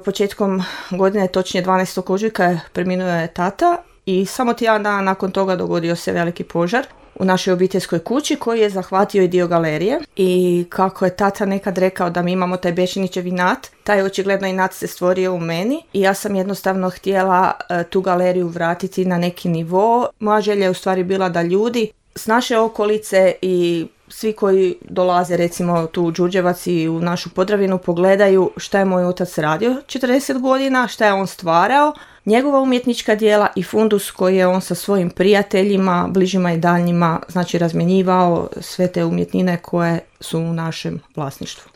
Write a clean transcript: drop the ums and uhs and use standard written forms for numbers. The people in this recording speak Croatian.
Početkom godine, točnije 12. ožujka, preminuo je tata i samo tjedan dana nakon toga dogodio se veliki požar u našoj obiteljskoj kući koji je zahvatio i dio galerije. I kako je tata nekad rekao da mi imamo taj Bešinićev inat, taj očigledno inat se stvorio u meni i ja sam jednostavno htjela tu galeriju vratiti na neki nivo. Moja želja je u stvari bila da ljudi s naše okolice i svi koji dolaze recimo tu u Đurđevac i u našu Podravinu pogledaju šta je moj otac radio 40 godina, šta je on stvarao, njegova umjetnička djela i fundus koji je on sa svojim prijateljima, bližima i daljnjima, znači razmjenjivao sve te umjetnine koje su u našem vlasništvu.